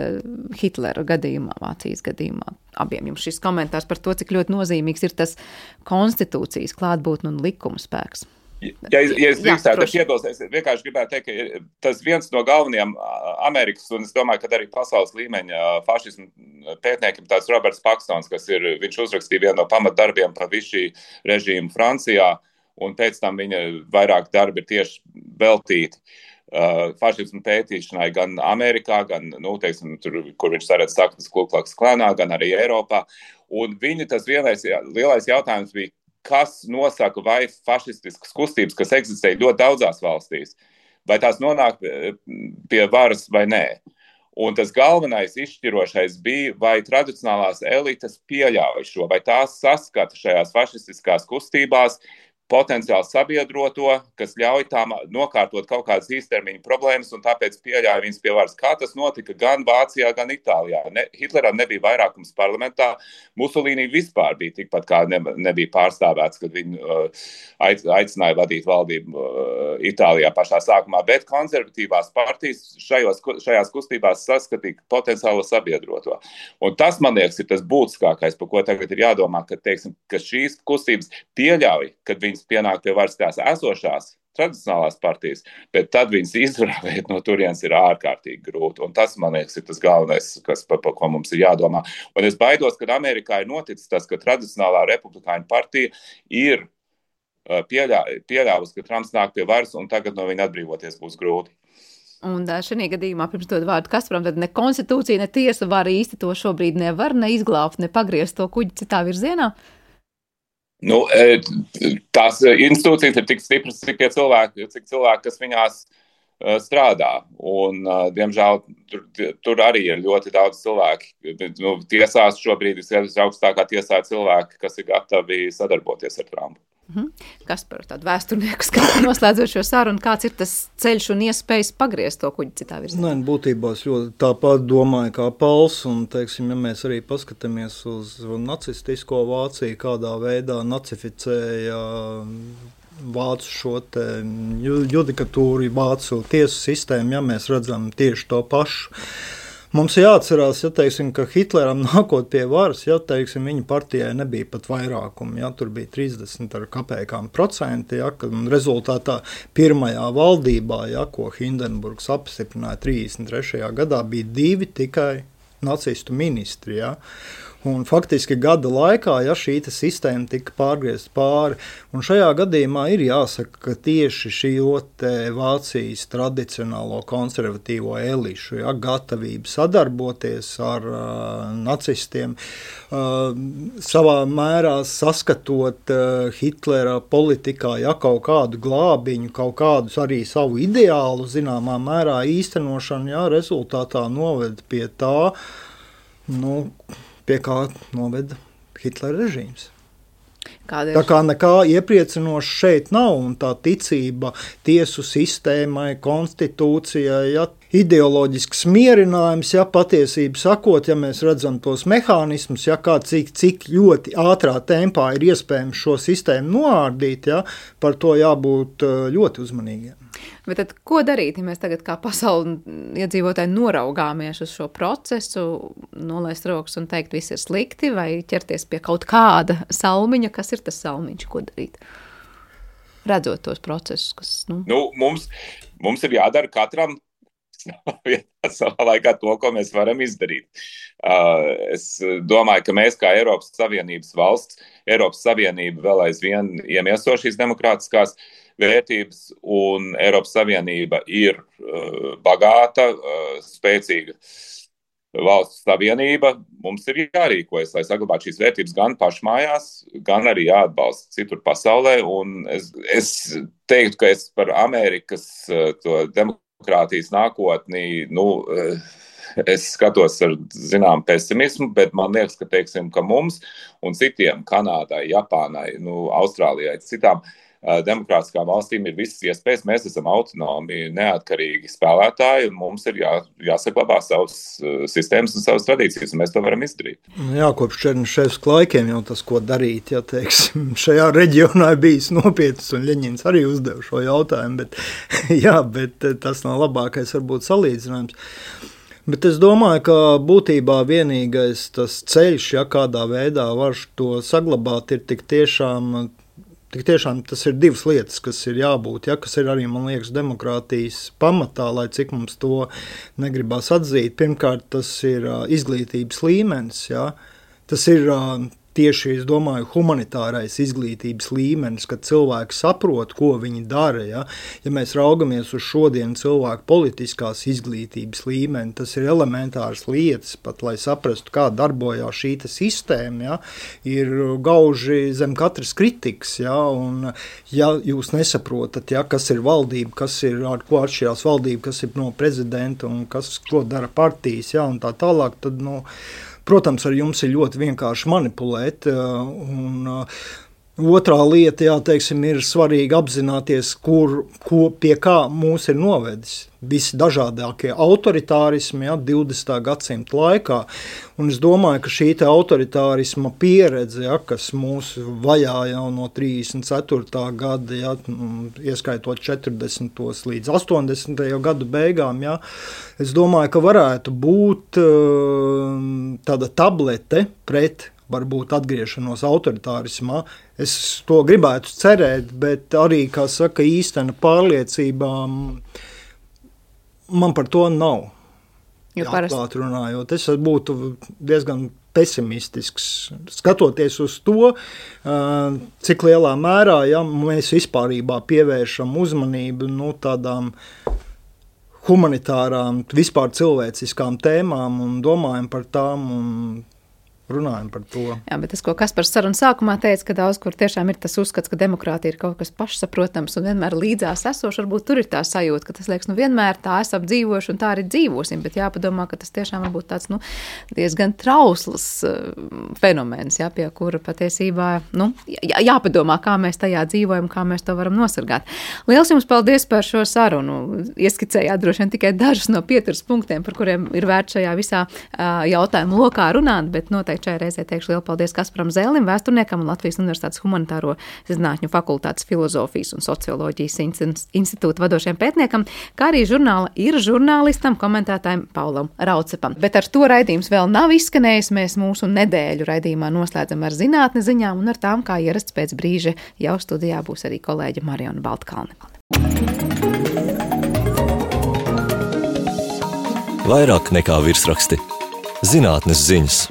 Hitlera gadījumā, Vācijas gadījumā. Abiem jums šis komentārs par to, cik ļoti nozīmīgs ir tas konstitūcijas klātbūtne un likuma spēks. Ja, ja es drīkstētu, es iebilst, es vienkārši gribētu teikt, ka tas viens no galvenajiem Amerikas, un es domāju, ka arī pasaules līmeņa fašismu pētniekiem tāds Roberts Pakstons, kas ir, viņš uzrakstīja vienu no pamatdarbiem par visu šī režīmu Francijā, un pēc tam viņa vairāk darbi ir tieši veltīti uh, fašismu pētīšanai gan Amerikā, gan, nu, teiksim, tur, kur viņš saredz saknes Ku Klux Klanā, gan arī Eiropā. Un viņa tas vienais, lielais jautājums bija, kas nosaka, vai fašistiskas kustības, kas eksistē ļoti daudzās valstīs, vai tās nonāk pie varas vai nē. Un tas galvenais izšķirošais bija, vai tradicionālās elites pieļauj šo, vai tās saskata šajās fašistiskās kustībās potenciāli sabiedroto, kas ļauj tām nokārtot kaut kādas īstermiņa problēmas un tāpēc pieļauj viņas pie varas. Kā tas notika gan Vācijā, gan Itālijā. Ne, Hitleram nebija vairākums parlamentā, Musolīnī vispār bija tikpat kā ne, nebija pārstāvēts, kad viņi uh, aicināja vadīt valdību uh, Itālijā pašā sākumā, bet konservatīvās partijas šajos, šajās kustībās saskatīja potenciālo sabiedroto. Un tas, man liekas, ir tas būtiskākais, par ko tagad ir jādomā, ka, teiksim, ka šīs kustības pieļauj, kad viņas pienāk pie varas tās esošās tradicionālās partijas, bet tad viņas izvarēt no turienes ir ārkārtīgi grūti. Un tas, man liekas, ir tas galvenais, kas, par, par ko mums ir jādomā. Un es baidos, ka Amerikā ir noticis tas, ka tradicionālā republikāņu partija ir pieļā, pieļāvusi, ka Trumps nāk pie varas un tagad no viņa atbrīvoties būs grūti. Un šajā gadījumā, pirms dod vārdu Kasparam, tad ne konstitūcija, ne tiesa var īsti to šobrīd nevar ne izglābt, ne pagriezt to kuģi citā virzienā? Nu, tās institūcijas ir tik stipras, cik cilvēki, cik cilvēki, kas viņās strādā. Un, diemžēl, tur, tur arī ir ļoti daudz cilvēki. Nu, tiesās šobrīd ir augstākā tiesā cilvēki, kas ir gatavi sadarboties ar Trumpu. Mhm. Kaspar, tādu vēsturnieku skatu noslēdzot šo sarunu, kāds ir tas ceļš un iespējas pagriezt to kuģi citā virzienā? Nē, būtībā es ļoti tāpat domāju kā Pauls, un, teiksim, ja mēs arī paskatāmies uz nacistisko Vāciju, kādā veidā nacificēja vācu šo te judikatūru, vācu tiesu sistēmu, ja mēs redzam tieši to pašu. Mums jāatcerās, ja, teiksim, ka Hitleram nākot pie varas, ja, teiksim, viņa partijai nebija pat vairākumu, ja, tur bija trīsdesmit ar kapēkām procenti, ja, un rezultātā pirmajā valdībā, ja, ko Hindenburgs apstiprināja trīsdesmit trešajā gadā, bija divi tikai nacistu ministri, ja. Un faktiski gada laikā, ja šī sistēma tika pārgriezta pāri, un šajā gadījumā ir jāsaka, ka tieši šī Vācijas tradicionālo konservatīvo elišu, ja, gatavība sadarboties ar uh, nacistiem, uh, savā mērā saskatot uh, Hitlera politikā, ja, kaut kādu glābiņu, kaut kādus arī savu ideālu, zināmā mērā īstenošanu, ja, rezultātā noved pie tā, nu, pie kā noveda Hitlera režīms. Tā kā nekā iepriecinoša šeit nav, un tā ticība tiesu sistēmai, konstitūcijai, ja, ideoloģisks mierinājums, ja patiesību sakot, ja mēs redzam tos mehānismus, ja kā cik, cik ļoti ātrā tempā ir iespējams šo sistēmu noārdīt, ja, par to jābūt ļoti uzmanīgiem. Bet tad ko darīt, ja mēs tagad kā pasauli iedzīvotāji noraugāmies uz šo procesu, nolaist rokas un teikt, viss ir slikti, vai ķerties pie kaut kāda salmiņa, kas ir tas salmiņš, ko darīt? Redzot tos procesus, kas... Nu, nu mums, mums ir jādara katram savā laikā to, ko mēs varam izdarīt. Uh, es domāju, ka mēs kā Eiropas Savienības valsts, Eiropas Savienība vēl aizvien iemieso šīs demokrātiskās vērtības, un Eiropas Savienība ir uh, bagāta, uh, spēcīga valsts savienība. Mums ir jārīkojas, lai saglabātu šīs vērtības gan pašmājās, gan arī jāatbalsta citur pasaulē, un es, es teiktu, ka es par Amerikas uh, to demokrātiju demokrātijas nākotnī, nu, es skatos ar zinām pesimismu, bet man liekas, ka, teiksim, ka mums un citiem, Kanādai, Japānai, nu, Austrālijai, citām uh, demokrātiskām valstīm ir visas iespējas. Mēs esam autonomi, neatkarīgi spēlētāji, un mums ir jā, jāsaglabā savas uh, sistēmas un savas tradīcijas, un mēs to varam izdarīt. Jā, kopš Černiševska laikiem jau tas, ko darīt, ja, teiksim, šajā reģionā ir bijis nopietns, un Ļeņins arī uzdeva šo jautājumu, bet, jā, bet tas nav labākais varbūt salīdzinājums. Bet es domāju, ka būtībā vienīgais tas ceļš, ja kādā veidā var to saglabāt, ir tik tiešām, tik tiešām tas ir divas lietas, kas ir jābūt, ja, kas ir arī, man liekas, demokrātijas pamatā, lai cik mums to negribās atzīt. Pirmkārt, tas ir izglītības līmenis, ja. Tas ir tieši, es domāju, humanitārais izglītības līmenis, kad cilvēki saprot, ko viņi dara. Ja, ja mēs raugamies uz šodien cilvēku politiskās izglītības līmeni, tas ir elementāras lietas, pat lai saprastu, kā darbojās šī sistēma, ja, ir gauži zem katras kritikas. Ja, un, ja jūs nesaprotat, ja, kas ir valdība, kas ir, ar ko atšķirās valdība, kas ir no prezidenta un kas, ko dara partijas, ja, un tā tālāk, tad, nu, protams, ar jums ir ļoti vienkārši manipulēt, un otrā lieta, jā, teiksim, ir svarīgi apzināties, kur, ko, pie kā mūs ir novedis visi dažādākie autoritārismi, jā, divdesmitā gadsimta laikā, un es domāju, ka šī te autoritārisma pieredze, jā, kas mūs vajā jau no trīsdesmit ceturtā gada, jā, ieskaitot četrdesmitos līdz astoņdesmitajā gadu beigām, jā, es domāju, ka varētu būt tāda tablete pret varbūt atgriešanos autoritārismā. Es to gribētu cerēt, bet arī, kā saka, īstena pārliecībā man par to nav. Atklāt runājot, es būtu diezgan pesimistisks, skatoties uz to, cik lielā mērā, ja mēs vispārībā pievēršam uzmanību, nu, tādām humanitārām, vispār cilvēciskām tēmām un domājam par tām un runājam par to. Jā, bet tas, ko Kaspars sarunas sākumā teica, ka daudz kur tiešām ir tas uzskats, ka demokrātija ir kaut kas pašsaprotams un vienmēr līdzās esošs, varbūt tur ir tā sajūta, ka tas liekas, nu vienmēr tā esam dzīvojuši un tā arī dzīvosim, bet jāpadomā, ka tas tiešām varbūt tāds, nu, diezgan trausls uh, fenomens, jā, pie kura patiesībā, nu, jā, jāpadomā, kā mēs tajā dzīvojam, kā mēs to varam nosargāt. Liels jums paldies par šo sarunu. Ieskicējāt droši vien tikai dažus no pieturas punktiem, par kuriem ir vērts šajā visā uh, jautājumu lokā runāt, bet noteikti šajā reizē teikšu lielu paldies Kasparam Zēlim, vēsturniekam un Latvijas Universitātes humanitāro zinātņu fakultātes filozofijas un socioloģijas institūta vadošajam pētniekam, kā arī žurnāla ir žurnālistam, komentētājiem Paulam Raucepam. Bet ar to raidījums vēl nav izskanējis. Mēs mūsu nedēļu raidījumā noslēdzam ar zinātnes ziņām un ar tām, kā ierasts pēc brīža jau studijā būs arī kolēģe Mariona Baltkalne. Vairāk nekā virsraksti. Zinātnes ziņas.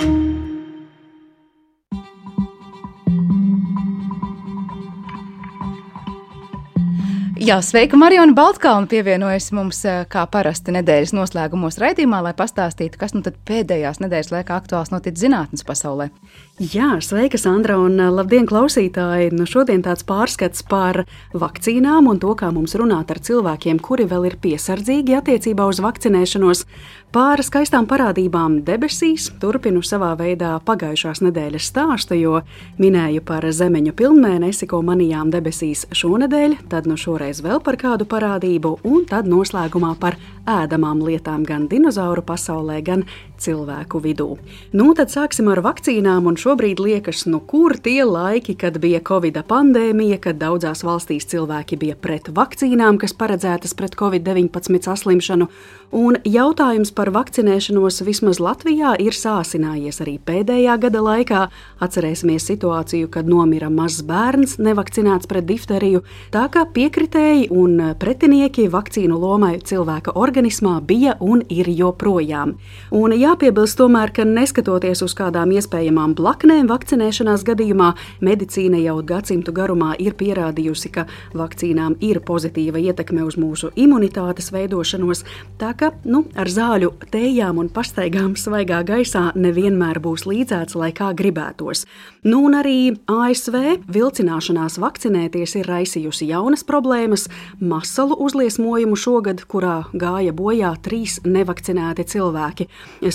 Jā, sveika, Mariona Baltkalne pievienojas mums kā parasti nedēļas noslēgumos raidījumā, lai pastāstītu, kas nu tad pēdējās nedēļas laikā aktuāls noticis zinātnes pasaulē. Jā, sveika, Sandra, un labdien, klausītāji! Nu, šodien tāds pārskats par vakcīnām un to, kā mums runāt ar cilvēkiem, kuri vēl ir piesardzīgi attiecībā uz vakcinēšanos. Pār skaistām parādībām debesīs turpinu savā veidā pagājušās nedēļas stāstu, jo minēju par zemeņu pilnmēnesi, ko manījām debesīs šonedēļ, tad nu šoreiz vēl par kādu parādību, un tad noslēgumā par ēdamām lietām gan dinozauru pasaulē, gan cilvēku vidū. Nu, tad sāksim ar vakcīnām, un šobrīd liekas, nu kur tie laiki, kad bija Covida pandēmija, kad daudzās valstīs cilvēki bija pret vakcīnām, kas paredzētas pret covid deviņpadsmit saslimšanu, un jautājums par vakcinēšanos vismaz Latvijā ir sāsinājies arī pēdējā gada laikā. Atcerēsimies situāciju, kad nomira mazs bērns nevakcinēts pret difteriju, tā kā piekritēji un pretinieki vakcīnu lomai cilvēka organismā bija un ir joprojām. Un jāpiebilst tomēr, ka neskatoties uz kādām iespējamām blaknēm vakcinēšanās gadījumā, medicīna jau gadsimtu garumā ir pierādījusi, ka vakcīnām ir pozitīva ietekme uz mūsu imunitātes veidošanos, tā ka, nu, ar zāļu tējām un pastaigām svaigā gaisā nevienmēr būs līdzēts, lai kā gribētos. Nu, un arī A S V vilcināšanās vakcinēties ir raisījusi jaunas problēmas, masalu uzliesmojumu šogad, kurā gāja bojā trīs nevakcinēti cilvēki.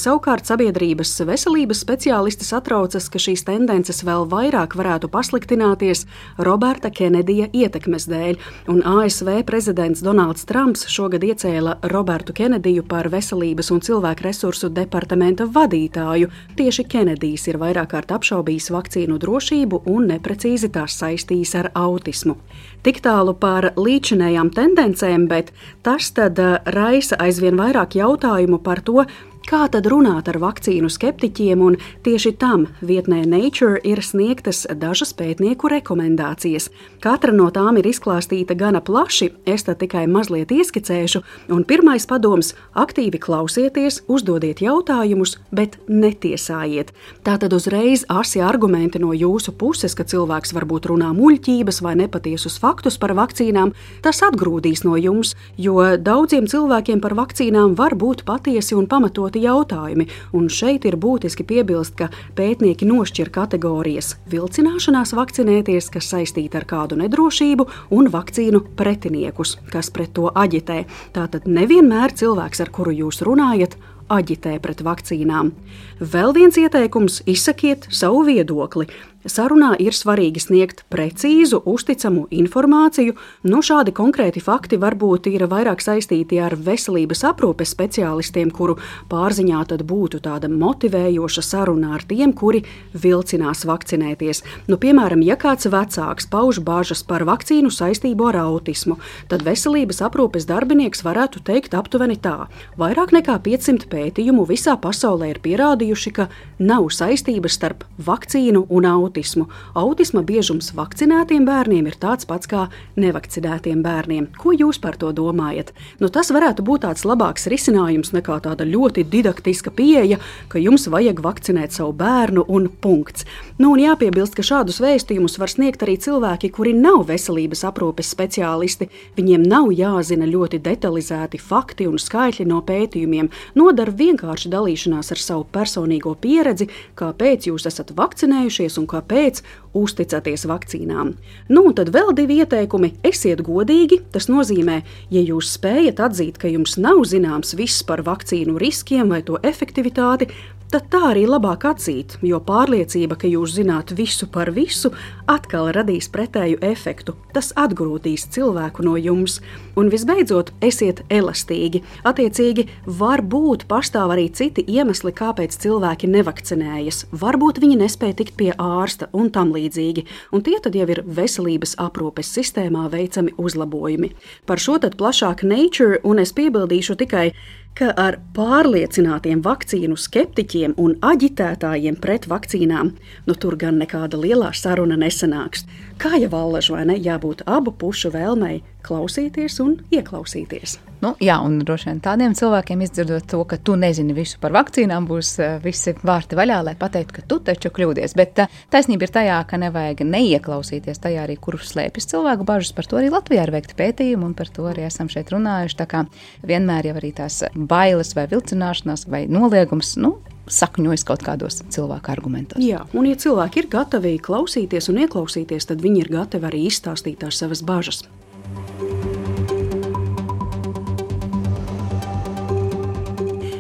Savukārt sabiedrības veselības speciālisti satraucas, ka šīs tendences vēl vairāk varētu pasliktināties Roberta Kenedija ietekmes dēļ, un A S V prezidents Donalds Trumps šogad iecēla Robertu Kenediju par veselības un cilvēku resursu departamenta vadītāju. Tieši Kenedijs ir vairāk kārt apšaubījis vakcīnu drošību un neprecīzi tās saistījis ar autismu. Tik tālu par līdzinējām tendencēm, bet tas tad raisa aizvien vairāk jautājumu par to, kā tad runāt ar vakcīnu skeptiķiem, un tieši tam vietnē Nature ir sniegtas dažas pētnieku rekomendācijas. Katra no tām ir izklāstīta gana plaši, es tad tikai mazliet ieskicēšu, un pirmais padoms – aktīvi klausieties, uzdodiet jautājumus, bet netiesājiet. Tātad uzreiz asi argumenti no jūsu puses, ka cilvēks varbūt runā muļķības vai nepatiesus faktus par vakcīnām, tas atgrūdīs no jums, jo daudziem cilvēkiem par vakcīnām var būt patiesi un pamatot jautājumi, un šeit ir būtiski piebilst, ka pētnieki nošķir kategorijas vilcināšanās vakcinēties, kas saistīta ar kādu nedrošību, un vakcīnu pretiniekus, kas pret to aģitē. Tātad nevienmēr cilvēks, ar kuru jūs runājat, aģitē pret vakcīnām. Vēl viens ieteikums – izsakiet savu viedokli. Sarunā ir svarīgi sniegt precīzu, uzticamu informāciju. Nu, šādi konkrēti fakti varbūt ir vairāk saistīti ar veselības aprūpes speciālistiem, kuru pārziņā tad būtu tāda motivējoša saruna ar tiem, kuri vilcinās vakcinēties. Nu, piemēram, ja kāds vecāks pauž bažas par vakcīnu saistību ar autismu, tad veselības aprūpes darbinieks varētu teikt aptuveni tā. Vairāk nekā piecsimt pētījumu visā pasaulē ir pierādījuši, ka nav saistības starp vakcīnu un autismu. Autismu. Autisma biežums vakcinētiem bērniem ir tāds pats kā nevakcinētiem bērniem. Ko jūs par to domājat? Nu, tas varētu būt tāds labāks risinājums nekā tāda ļoti didaktiska pieeja, ka jums vajag vakcinēt savu bērnu un punkts. Nu, un jāpiebilst, ka šādus vēstījumus var sniegt arī cilvēki, kuri nav veselības aprūpes speciālisti. Viņiem nav jāzina ļoti detalizēti fakti un skaitļi no pētījumiem. Nodara vienkārši dalīšanās ar savu personīgo pieredzi, kāpēc jūs esat vakcinējušies un kāpēc uzticaties vakcīnām. Nu, un tad vēl divi ieteikumi. Esiet godīgi, tas nozīmē, ja jūs spējat atzīt, ka jums nav zināms viss par vakcīnu riskiem vai to efektivitāti, tad tā arī labāk atzīt, jo pārliecība, ka jūs zināt visu par visu, atkal radīs pretēju efektu. Tas atgrūdīs cilvēku no jums. Un visbeidzot, esiet elastīgi. Attiecīgi, varbūt pastāv arī citi iemesli, kāpēc cilvēki nevakcinējas. Varbūt viņi nespēja tikt pie ārsta un tam līdzīgi. Un tie tad jau ir veselības aprūpes sistēmā veicami uzlabojumi. Par šo tad plašāk Nature, un es piebildīšu tikai, ka ar pārliecinātiem vakcīnu skeptiķiem un aģitētājiem pret vakcīnām, nu tur gan nekāda lielā saruna nesanāks. Kā jau Allaž, vai ne, jābūt abu pušu vēlmei klausīties un ieklausīties. Nu, jā, un droši vien tādiem cilvēkiem izdzirdot to, ka tu nezini visu par vakcīnām, būs uh, visi vārti vaļā, lai pateiktu, ka tu taču kļūdies. Bet uh, taisnība ir tajā, ka nevajag neieklausīties tajā arī, kur slēpjas cilvēku bažas. Par to arī Latvijā ir veikti pētījumi, un par to arī esam šeit runājuši. Tā kā vienmēr jau arī tās bailes vai vilcināšanās vai noliegums, nu, sakņojas kaut kādos cilvēku argumentos. Jā, un ja cilvēki ir gatavi klausīties un ieklausīties, tad viņi ir gatavi arī izstāstīt tās savas bažas.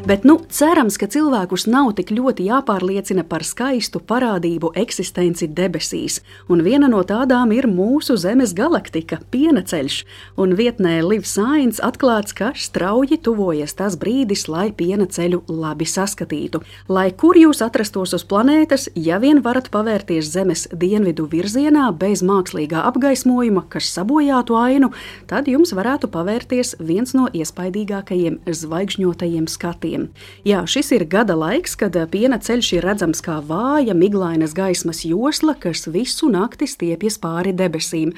Bet, nu, cerams, ka cilvēkus nav tik ļoti jāpārliecina par skaistu parādību eksistenci debesīs, un viena no tādām ir mūsu Zemes galaktika, Pienaceļš, un vietnē Live Science atklāts, ka strauji tuvojas tas brīdis, lai Pienaceļu labi saskatītu. Lai kur jūs atrastos uz planētas, ja vien varat pavērties Zemes dienvidu virzienā bez mākslīgā apgaismojuma, kas sabojātu ainu, tad jums varētu pavērties viens no iespaidīgākajiem zvaigžņotajiem skatiem. Jā, šis ir gada laiks, kad Pienaceļš ir redzams kā vāja, miglainas gaismas josla, kas visu nakti stiepjas pāri debesīm.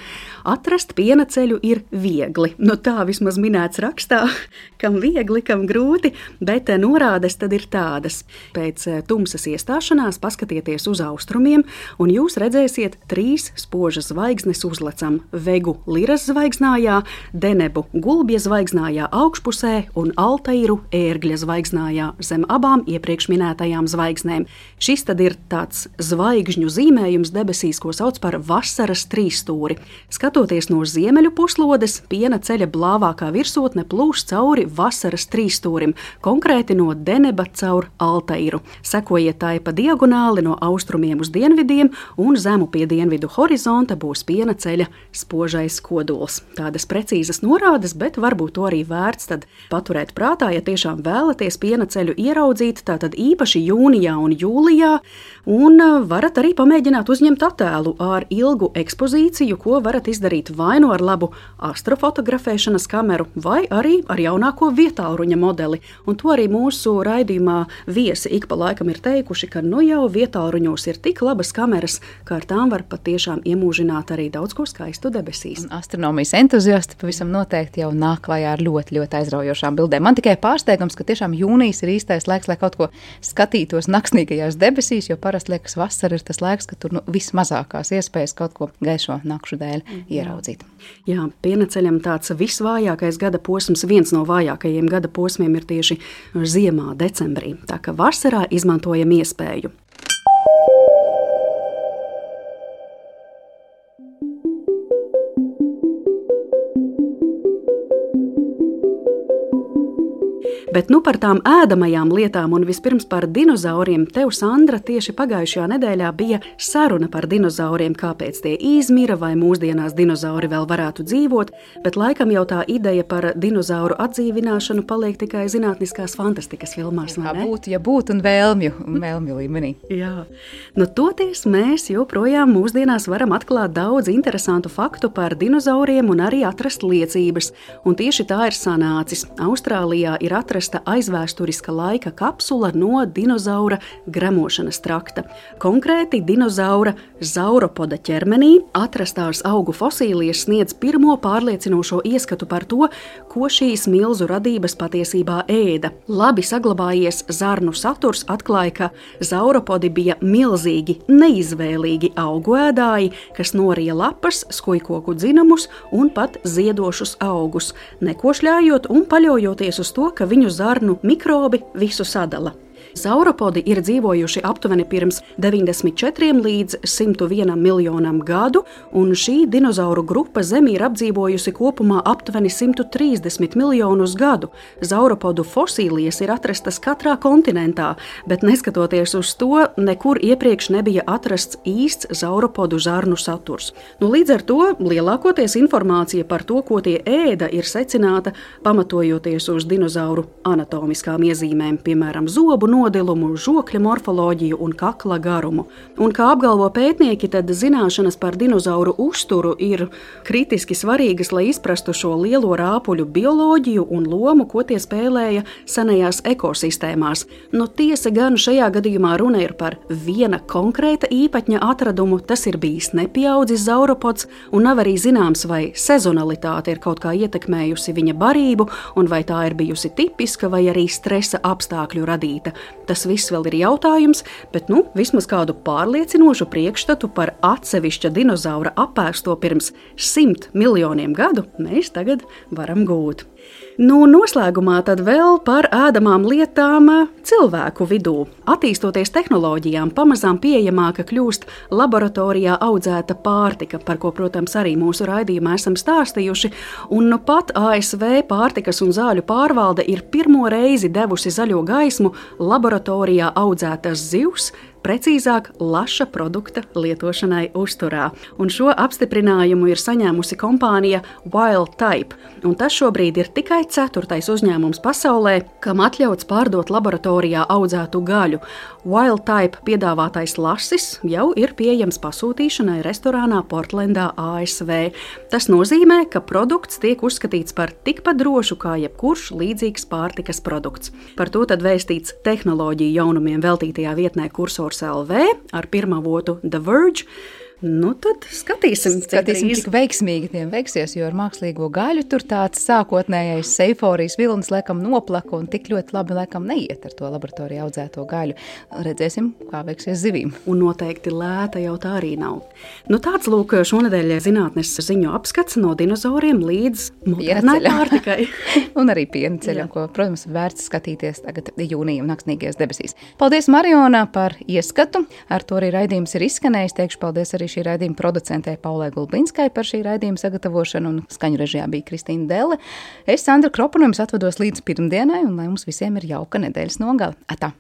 Atrast Pienaceļu ir viegli. Nu tā vismaz minēts rakstā, kam viegli, kam grūti, bet norādes tad ir tādas. Pēc tumsas iestāšanās paskatieties uz austrumiem, un jūs redzēsiet trīs spožas zvaigznes uzlecam – Vegu Liras zvaigznājā, Denebu Gulbja zvaigznājā augšpusē un Altairu Ērgļa zvaigznājā zem abām iepriekš minētajām zvaigznēm. Šis tad ir tāds zvaigžņu zīmējums debesīs, ko sauc par vasaras trīsstūri. Skatoties no ziemeļu puslodes, Pienaceļa blāvākā virsotne plūš cauri vasaras trīsstūrim, konkrēti no Deneba caur Altairu. Sekojiet tai pa diagonāli no austrumiem uz dienvidiem, un zemu pie dienvidu horizonta būs Pienaceļa spožais kodols. Tādas precīzas norādes, bet varbūt to arī vērts tad paturēt prātā, ja tiešām vēlaties Pienaceļu ieraudzīt, tātad īpaši jūnijā un jūlijā, un varat arī pamēģināt uzņemt attēlu ar ilgu ekspozīciju, ko varat izdarīt vai nu ar labu astrofotografēšanas kameru, vai arī ar jaunāko vietālruņa modeli. Un to arī mūsu raidījumā viesi ik pa laikam ir teikuši, ka nu jau vietālruņos ir tik labas kameras, ka ar tām var patiešām iemūžināt arī daudz ko skaistu debesīs. Un astronomijas entuziasti pavisam noteikti jau nāk klajā ar ļoti, ļoti aizraujošām bildēm. Man tikai pārsteigums, ka tiešām jūnijas ir īstais laiks, lai kaut ko skatītos naksnīgajās debesīs, jo parasti liekas vasara ir tas laiks, ka tur nu, vismazākās iespējas kaut ko gaišo nakšu dēļ ieraudzīt. Jā, Pienaceļam tāds visvājākais gada posms, viens no vājākajiem gada posmiem ir tieši ziemā, decembrī. Tā ka vasarā izmantojam iespēju. Bet nu par tām ēdamajām lietām un vispirms par dinozauriem. Tev, Sandra, tieši pagājušajā nedēļā bija saruna par dinozauriem, kāpēc tie izmira vai mūsdienās dinozauri vēl varētu dzīvot, bet laikam jau tā ideja par dinozauru atdzīvināšanu paliek tikai zinātniskās fantastikas filmās, vai ne? Kā būtu, ja būtu un vēlmju, vēlmju līmenī. Jā, nu toties mēs joprojām mūsdienās varam atklāt daudz interesantu faktu par dinozauriem un arī atrast liecības, un tieši tā ir sanācis. Austrālijā ir atrast aizvēsturiska laika kapsula no dinozaura gremošanas trakta. Konkrēti dinozaura zauropoda ķermenī atrastās augu fosīlijas sniedz pirmo pārliecinošo ieskatu par to, ko šīs milzu radības patiesībā ēda. Labi saglabājies zarnu saturs atklāja, ka zauropodi bija milzīgi, neizvēlīgi augu ēdāji, kas norija lapas, skujkoku dzinamus un pat ziedošus augus, nekošļājot un paļaujoties uz to, ka viņu zarnu mikrobi visu sadala. Zauropodi ir dzīvojuši aptuveni pirms deviņdesmit četriem līdz simt vienam miljonam gadu, un šī dinozauru grupa Zemi ir apdzīvojusi kopumā aptuveni simt trīsdesmit miljonus gadu. Zauropodu fosīlijas ir atrastas katrā kontinentā, bet neskatoties uz to, nekur iepriekš nebija atrasts īsts zauropodu zarnu saturs. Nu, līdz ar to lielākoties informācija par to, ko tie ēda, ir secināta pamatojoties uz dinozauru anatomiskām iezīmēm, piemēram, zobu nodilumu, žokļa morfoloģiju un kakla garumu. Un kā apgalvo pētnieki, tad zināšanas par dinozauru uzturu ir kritiski svarīgas, lai izprastu šo lielo rāpuļu bioloģiju un lomu, ko tie spēlēja senajās ekosistēmās. Nu, tiesa gan šajā gadījumā runa ir par viena konkrēta īpatņa atradumu, tas ir bijis nepieaudzis zauropods, un nav arī zināms, vai sezonalitāte ir kaut kā ietekmējusi viņa barību, un vai tā ir bijusi tipiska vai arī stresa apstākļu radīta. Tas viss vēl ir jautājums, bet nu, vismaz kādu pārliecinošu priekšstatu par atsevišķa dinozaura apēsto pirms simt miljoniem gadu mēs tagad varam gūt. Nu, noslēgumā tad vēl par ēdamām lietām cilvēku vidū. Attīstoties tehnoloģijām, pamazām pieejamāka kļūst laboratorijā audzēta pārtika, par ko, protams, arī mūsu raidījumā esam stāstījuši. Un nu pat A S V pārtikas un zāļu pārvalde ir pirmo reizi devusi zaļo gaismu laboratorijā audzētas zivs, precīzāk laša produkta lietošanai uzturā. Un šo apstiprinājumu ir saņēmusi kompānija Wild Type, un tas šobrīd ir tikai ceturtais uzņēmums pasaulē, kam atļauts pārdot laboratorijā audzētu gaļu. Wild Type piedāvātais lasis jau ir pieejams pasūtīšanai restorānā Portlendā, A S V. Tas nozīmē, ka produkts tiek uzskatīts par tikpat drošu kā jebkurš līdzīgs pārtikas produkts. Par to tad vēstīts tehnoloģiju jaunumiem veltītajā vietnē Kursors L V ar pirmavotu The Verge. Nu, tad skatīsim, skatīsim cik veiksmīgi tiem veiksies, jo ar mākslīgo gaļu tur tāds sākotnējais eiforijas vilnis laikam noplaka un tik ļoti labi laikam neiet ar to laboratorijā audzēto gaļu. Redzēsim, kā veiksies zivīm. Un noteikti lēta jau tā arī nav. Nu, tāds lūk šonedēļ zinātnes ziņu apskats no dinozauriem līdz modernai pārtikai. Un arī piena ceļam, ko, protams, vērts skatīties tagad jūnija un naktsnīgajās debesīs. Paldies, Mariona, par ieskatu. Ar to arī raidījums ir izskanējis. Teikšu paldies arī šī raidījuma producentē Paulai Gulbinskai par šī raidījuma sagatavošanu, un skaņu režijā bija Kristīna Delle. Es, Sandra Kropa, no jums atvados līdz pirmdienai, un lai mums visiem ir jauka nedēļas nogale. Atā!